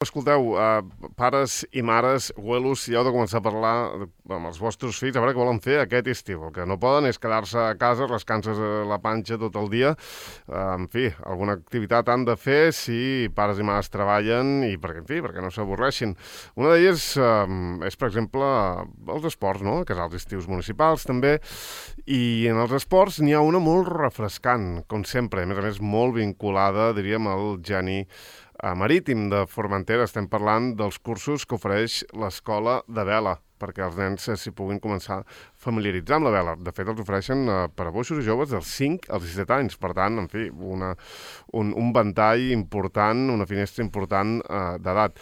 Escolteu, pares i mares, abuelos, si heu de començar a parlar amb els vostres fills, a veure què volen fer aquest estiu. El que no poden és quedar-se a casa, rascant-se la panxa tot el dia. En fi, alguna activitat han de fer si pares i mares treballen i perquè no s'avorreixin. Una d'elles és, per exemple, els esports, no? Casals estius municipals, també. I en els esports n'hi ha una molt refrescant, com sempre. A més, molt vinculada, diríem, al geni marítim de Formentera. Estem parlant dels cursos que ofereix l'escola de vela, perquè els nens s'hi puguin començar a familiaritzar amb la vela. De fet, els ofereixen per a boixos i joves dels 5 als 17 anys. Per tant, en fi, un ventall important, una finestra important d'edat.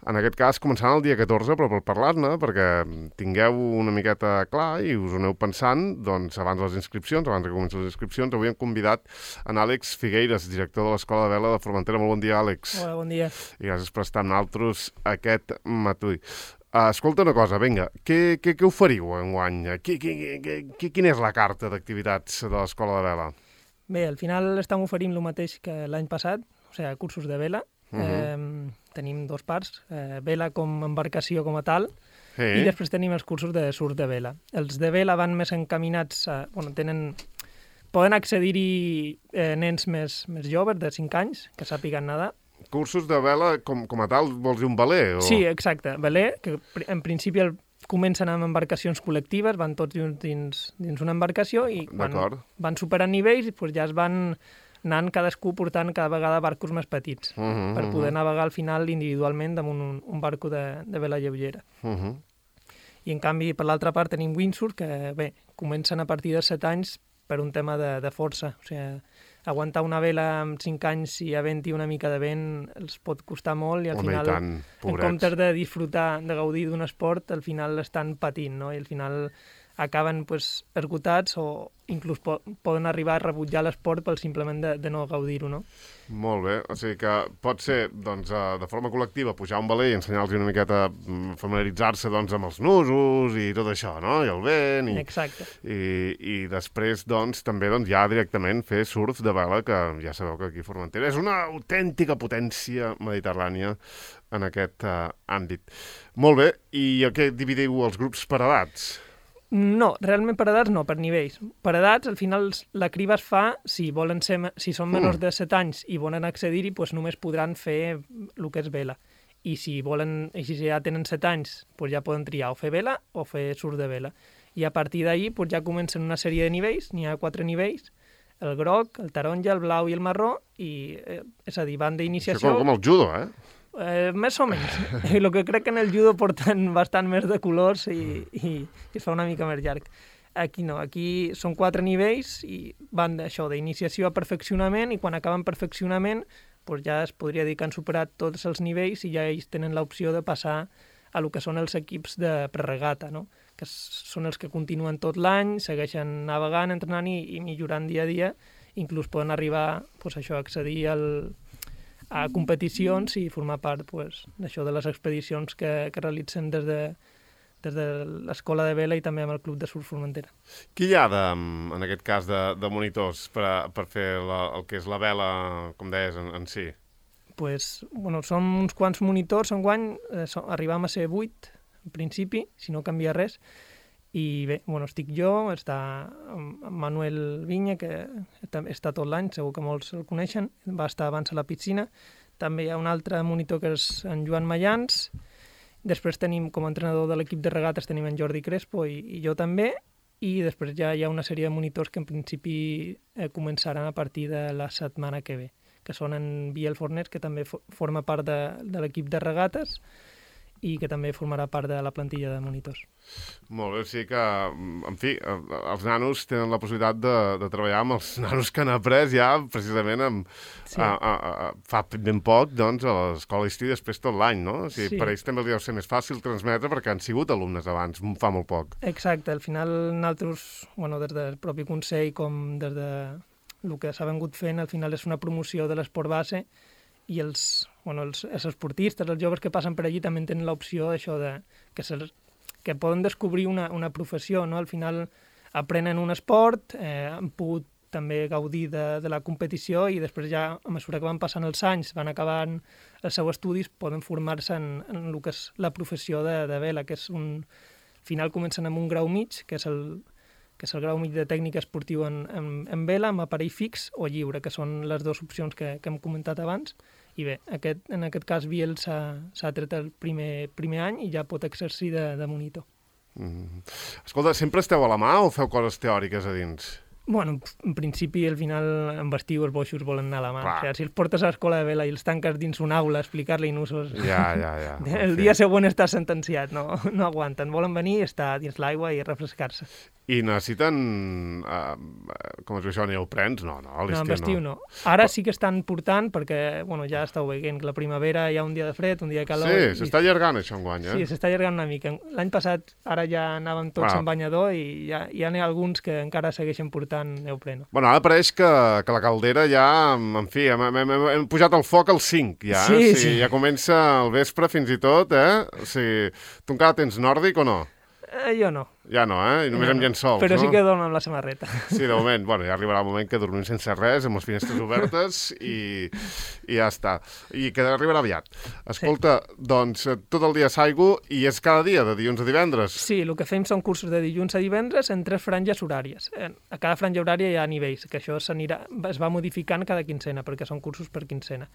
En aquest cas, començant el dia 14, però per parlar-ne, perquè tingueu una miqueta clar i us ho aneu pensant, doncs abans de les inscripcions, abans que comencin les inscripcions, avui hem convidat en Àlex Figueiras, director de l'Escola de Vela de Formentera. Molt bon dia, Àlex. Hola, bon dia. I gràcies per estar amb nosaltres aquest matí. Escolta una cosa, vinga, què oferiu enguany? Quina és la carta d'activitats de l'Escola de Vela? Bé, al final estem oferint el mateix que l'any passat, o sigui, cursos de vela. Tenim dos parts, vela com embarcació com a tal, i després tenim els cursos de surf de vela. Els de vela van més encaminats a... Poden accedir-hi nens més joves, de 5 anys, que sàpiguen nedar. Cursos de vela com a tal, vols dir un veler? O... Sí, exacte, veler, que en principi comencen amb embarcacions col·lectives, van tots dins una embarcació i quan van superant nivells ja es van anant cadascú portant cada vegada barcos més petits per poder navegar al final individualment damunt un barco de vela lleugera. I en canvi, per l'altra part, tenim windsurf, que bé, comencen a partir de 7 anys per un tema de força. O sigui, aguantar una vela amb 5 anys i havent-hi una mica de vent els pot costar molt i al final, en comptes de disfrutar, de gaudir d'un esport, al final estan patint, no? I al final acaben esgotats o inclús poden arribar a rebutjar l'esport pel simplement de no gaudir-ho, no? Molt bé, o sigui que pot ser doncs, de forma col·lectiva pujar un veler i ensenyar-los una miqueta familiaritzar-se doncs, amb els nusos i tot això, no? I el vent i després doncs, també ja directament fer surf de vela, que ja sabeu que aquí a Formentera és una autèntica potència mediterrània en aquest àmbit. Molt bé, i a què dividiu els grups per edats? No, realment per edats no, per nivells. Per edats, al final, la criba es fa, si són menors de 7 anys i volen accedir-hi, només podran fer el que és vela. I si ja tenen 7 anys, ja poden triar o fer vela o fer surf de vela. I a partir d'ahir ja comencen una sèrie de nivells, n'hi ha 4 nivells, el groc, el taronja, el blau i el marró, és a dir, van d'iniciació... Això com el judo, més o menys. El que crec que en el judo porten bastant més de colors i es fa una mica més llarg. Aquí no, aquí són 4 nivells i van d'això, d'iniciació a perfeccionament, i quan acaben perfeccionament ja es podria dir que han superat tots els nivells i ja ells tenen l'opció de passar a el que són els equips de preregata, no? Que són els que continuen tot l'any, segueixen navegant, entrenant i millorant dia a dia, inclús poden arribar a accedir a competicions i formar part d'això, de les expedicions que realitzen des de l'Escola de Vela i també amb el Club de Surf Formentera. Qui hi ha, en aquest cas, de monitors per fer el que és la vela, com deies, en si? Som uns quants monitors enguany, arribam a ser 8, en principi, si no canvia res, i bé, estic jo, està Manuel Vinya, que està tot l'any, segur que molts el coneixen, va estar abans a la piscina. També hi ha un altre monitor que és en Joan Mayans. Després tenim, com a entrenador de l'equip de regates, tenim en Jordi Crespo i jo també. I després ja hi ha una sèrie de monitors que en principi començaran a partir de la setmana que ve, que són en Biel Forners, que també forma part de l'equip de regates, i que també formarà part de la plantilla de monitors. Molt bé, o sigui que, en fi, els nanos tenen la possibilitat de treballar amb els nanos que han après ja precisament fa ben poc, doncs, a l'escola estiu i després tot l'any, no? O sigui, per ells també els deu ser més fàcil transmetre perquè han sigut alumnes abans, fa molt poc. Exacte, al final nosaltres, des del propi Consell com des de el que s'ha vengut fent, al final és una promoció de l'esport base i els esportistes, els joves que passen per allí també tenen l'opció d'això que poden descobrir una professió, no? Al final aprenen un esport, han pogut també gaudir de la competició i després ja, a mesura que van passant els anys, van acabant els seus estudis, poden formar-se en el que és la professió de vela, que és al final comencen amb un grau mig, que és el grau mig de tècnica esportiu en vela, amb aparell fix o lliure, que són les dues opcions que hem comentat abans. I bé, en aquest cas Biel s'ha tret el primer any i ja pot exercir de monitor. Escolta, sempre esteu a la mà o feu coses teòriques a dins? Bueno, en principi, al final, en estiu els boixos volen anar a la mà. O sigui, si els portes a l'escola de vela i els tanques dins una aula a explicar-li nusos... Ja. El dia següent estàs sentenciat, no aguanten. Volen venir, estar dins l'aigua i refrescar-se. I necessiten, com es diu això, neoprens? No, a l'estiu no. Ara sí que estan portant, perquè ja estàu veient que la primavera hi ha un dia de fred, un dia de calor... Sí, s'està allargant això enguany, Sí, s'està allargant una mica. L'any passat ara ja anàvem tots en banyador i ja n'hi ha alguns que encara segueixen portant neopreno. Bueno, ara pareix que la caldera ja, en fi, hem pujat el foc al 5, ja. Sí. Ja comença al vespre fins i tot, O sigui, tu encara tens nòrdic o no? Jo no. Ja no, I només amb llençols, Però sí que dormo amb la samarreta. Sí, de moment. Ja arribarà el moment que dormim sense res, amb les finestres obertes i ja està. I que arribarà aviat. Escolta, doncs, tot el dia s'aigua i és cada dia, de dilluns a divendres? Sí, el que fem són cursos de dilluns a divendres en 3 franges horàries. A cada franja horària hi ha nivells, que això es va modificant cada quincena, perquè són cursos per quincena.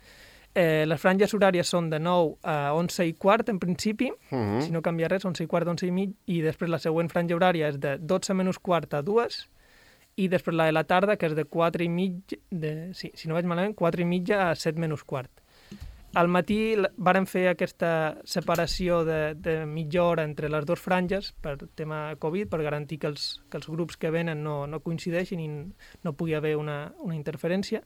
Les franges horàries són de 9 a 11 i quart, en principi, si no canvia res, 11 i quart, 11 i mig, i després la següent franja horària és de 12 menys quart a 2, i després la de la tarda, que és de 4 i mig, si no vaig malament, 4 i mitja a 7 menys quart. Al matí vàrem fer aquesta separació de mitja hora entre les dues franges per tema Covid, per garantir que els grups que venen no coincideixin i no pugui haver una interferència,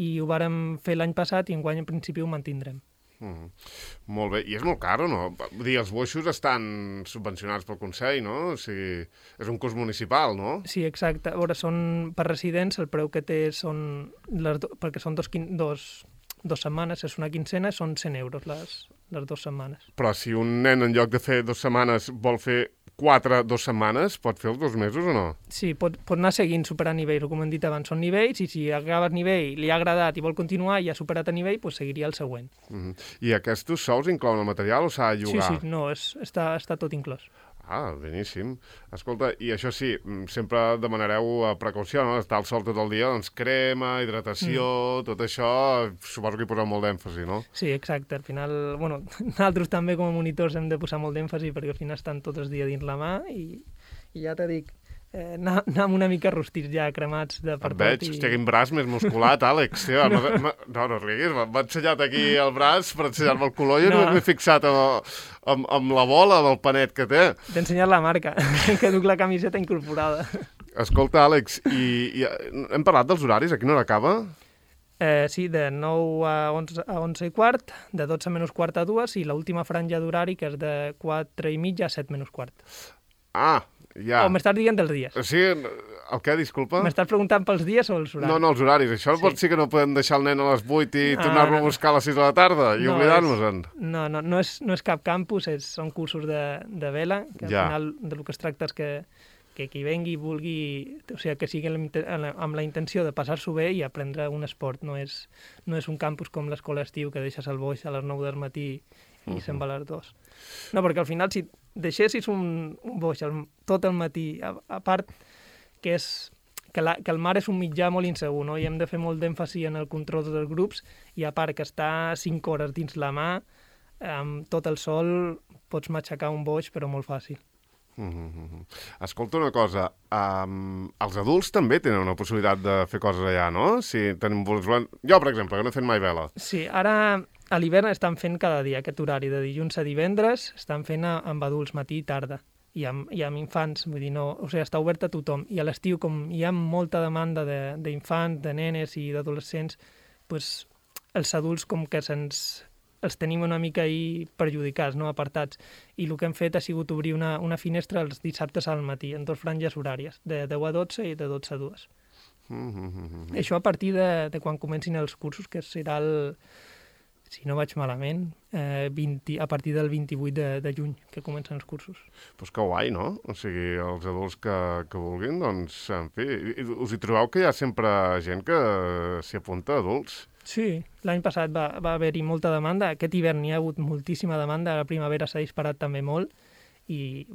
i ho vàrem fer l'any passat i enguany en principi ho mantindrem. Molt bé. I és molt car, o no? Vull dir, els boixos estan subvencionats pel Consell, no? O sigui, és un curs municipal, no? Sí, exacte. A veure, són per residents, el preu que té són... perquè són dos setmanes, és una quincena, són 100 euros les 2 setmanes. Però si un nen en lloc de fer 2 setmanes vol fer 2 setmanes, pot fer els 2 mesos o no? Sí, pot anar seguint superant nivells, com hem dit abans, són nivells, i si acabes nivell, li ha agradat i vol continuar i ha superat a nivell, doncs seguiria el següent. I aquests sous inclouen el material o s'ha de llogar? Sí, no, està tot inclòs. Ah, beníssim. Escolta, i això sí, sempre demanareu precaució, no? Estar al sol tot el dia, doncs crema, hidratació, tot això, suposo que hi poseu molt d'èmfasi, no? Sí, exacte. Al final, nosaltres també com a monitors hem de posar molt d'èmfasi perquè al final estan tot el dia dins la mà i ja t'he dit, anar amb una mica rostits ja, cremats de per tot. Et veig, hòstia, quin braç més musculat, Àlex. Tio, no riguis, m'ha ensenyat aquí el braç per ensenyar-me el color i jo no m'he fixat amb la bola del panet que té. T'he ensenyat la marca, que duc la camiseta incorporada. Escolta, Àlex, i hem parlat dels horaris? A quina hora acaba? Sí, de 9 a 11 i quart, de 12 menys quart a 2, i l'última franja d'horari, que és de 4 i mitja a 7 menys quart. Ah, ja. O m'estàs dient dels dies? Sí, el què, disculpa? M'estàs preguntant pels dies o els horaris? No, els horaris. Això pot ser que no podem deixar el nen a les 8 i tornar-lo a buscar a les 6 de la tarda i oblidar-nos-en. No és cap campus, són cursos de vela, que al final del que es tracta és que qui vengui vulgui, o sigui, que sigui amb la intenció de passar-s'ho bé i aprendre un esport. No és un campus com l'escola estiu que deixes el boix a les 9 del matí i se'n va a les 2. No, perquè al final, si deixessis un boix tot el matí, a part que el mar és un mitjà molt insegur, no? I hem de fer molt d'èmfasi en el control dels grups, i a part que està 5 hores dins la mà, amb tot el sol pots matxacar un boix, però molt fàcil. Escolta una cosa, els adults també tenen una possibilitat de fer coses allà, no? Jo, per exemple, que no he fet mai vela. Sí, ara a l'hivern estan fent cada dia aquest horari, de dilluns a divendres, estan fent amb adults matí i tarda, i amb infants, vull dir, no, o sigui, està obert a tothom. I a l'estiu, com hi ha molta demanda d'infants, de nenes i d'adolescents, doncs els adults com que els tenim una mica ahí perjudicats, no? Apartats. I el que hem fet ha sigut obrir una finestra els dissabtes al matí, en 2 franges horàries, de 10 a 12 i de 12 a 2. Això a partir de quan comencin els cursos, que serà si no vaig malament, a partir del 28 de juny, que comencen els cursos. Pues que guai, no? O sigui, els adults que vulguin, doncs, en fi, us hi trobeu que hi ha sempre gent que s'hi apunta, adults? Sí, l'any passat va haver-hi molta demanda, aquest hivern hi ha hagut moltíssima demanda, la primavera s'ha disparat també molt, i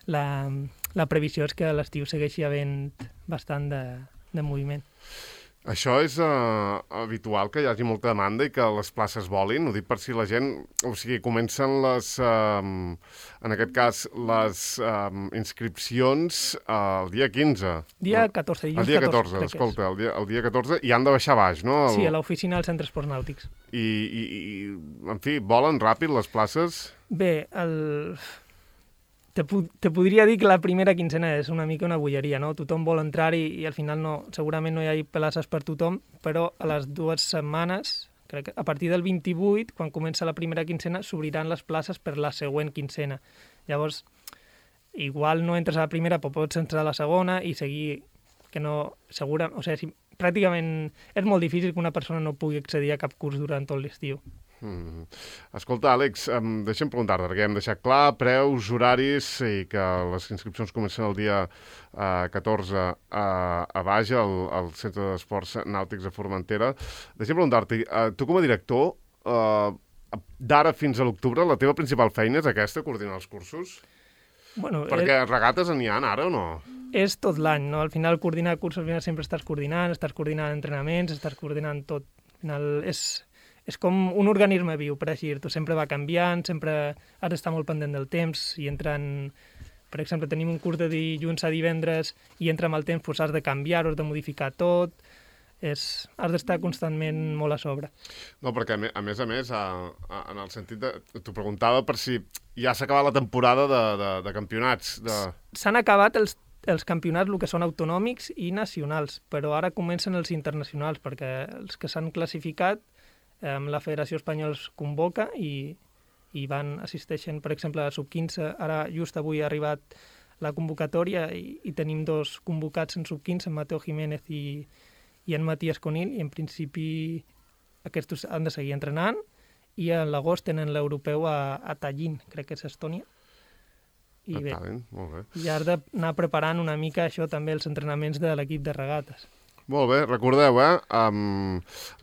la previsió és que a l'estiu segueixi havent bastant de moviment. Això és habitual, que hi hagi molta demanda i que les places volin? Ho dic per si la gent... O sigui, comencen en aquest cas, les inscripcions el dia 15. Dia 14, dilluns 14. El dia 14, escolta, el dia 14, i han de baixar baix, no? Sí, a l'oficina del Centre Esports Nàutics. I, en fi, volen ràpid les places? Bé, te podria dir que la primera quincena és una mica una bogeria, no? Tothom vol entrar-hi i al final segurament no hi ha places per tothom, però a les 2 setmanes, crec que a partir del 28, quan comença la primera quincena, s'obriran les places per la següent quincena. Llavors, igual no entres a la primera, però pots entrar a la segona i seguir, que no... o sigui, pràcticament és molt difícil que una persona no pugui accedir a cap curs durant tot l'estiu. Escolta, Àlex, deixa'm preguntar-te, perquè hem deixat clar preus, horaris i que les inscripcions comencen el dia 14 a Baja, al Centre d'Esports Nàutics de Formentera. Deixa'm preguntar-te, tu com a director, d'ara fins a l'octubre, la teva principal feina és aquesta, coordinar els cursos? Bueno, perquè regates n'hi ha ara o no? És tot l'any, no? Al final, coordinar cursos, al final sempre estàs coordinant entrenaments, estàs coordinant tot. Al final és com un organisme viu, per així dir-ho. Sempre va canviant, sempre has d'estar molt pendent del temps, i per exemple, tenim un curs de dilluns a divendres i entra amb el temps, doncs has de canviar-ho, has de modificar tot, has d'estar constantment molt a sobre. No, perquè a més, en el sentit de... T'ho preguntava per si ja s'ha acabat la temporada de campionats. S'han acabat els campionats, el que són autonòmics i nacionals, però ara comencen els internacionals, perquè els que s'han classificat, la Federació Espanyola els convoca i assisteixen, per exemple, a la sub-15. Ara, just avui ha arribat la convocatòria i tenim 2 convocats en sub-15, en Mateo Jiménez i en Matías Conil, i en principi aquests han de seguir entrenant, i a l'agost tenen l'europeu a Tallinn, crec que és Estònia. I bé, molt bé. I has d'anar preparant una mica això també, els entrenaments de l'equip de regates. Molt bé, recordeu,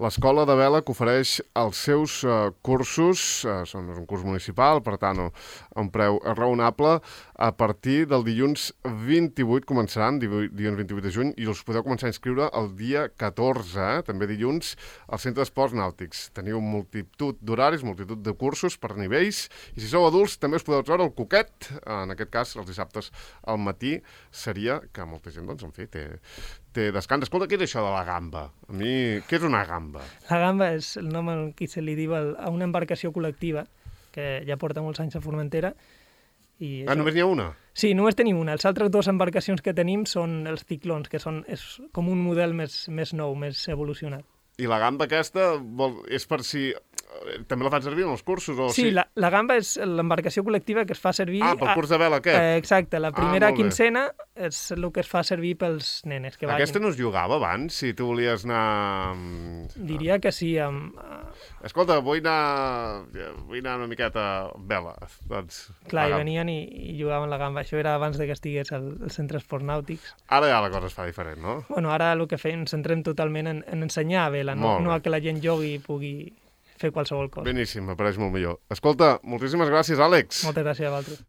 l'Escola de Vela que ofereix els seus cursos, és un curs municipal, per tant, a un preu raonable, a partir del dilluns 28 començaran, dilluns 28 de juny, i els podeu començar a inscriure el dia 14, també dilluns, al Centre d'Esports Nàutics. Teniu multitud d'horaris, multitud de cursos per nivells, i si sou adults també us podeu treure el coquet, en aquest cas, els dissabtes al matí, seria que molta gent, doncs, en fi, té descans. Escolta, què és això de la gamba? A mi, què és una gamba? La gamba és el nom que se li diu a una embarcació col·lectiva que ja porta molts anys a Formentera. Només n'hi ha una? Sí, només tenim una. Les altres 2 embarcacions que tenim són els ciclons, que és com un model més nou, més evolucionat. I la gamba aquesta és per si... També la fan servir en els cursos? Sí, la gamba és l'embarcació col·lectiva que es fa servir... pel curs de vela aquest? Exacte, la primera quincena és el que es fa servir pels nenes. Aquesta no es jugava abans, si tu volies anar... Diria que sí. Escolta, vull anar una miqueta a vela. Doncs, clar, i venien i jugaven la gamba. Això era abans que estigués al Centre Esports Nàutics. Ara ja la cosa es fa diferent, no? Bueno, ara el que fem, ens centrem totalment en ensenyar a vela, no a que la gent jugui i pugui fer qualsevol cosa. Beníssim, m'apareix molt millor. Escolta, moltíssimes gràcies, Àlex. Moltes gràcies a vosaltres.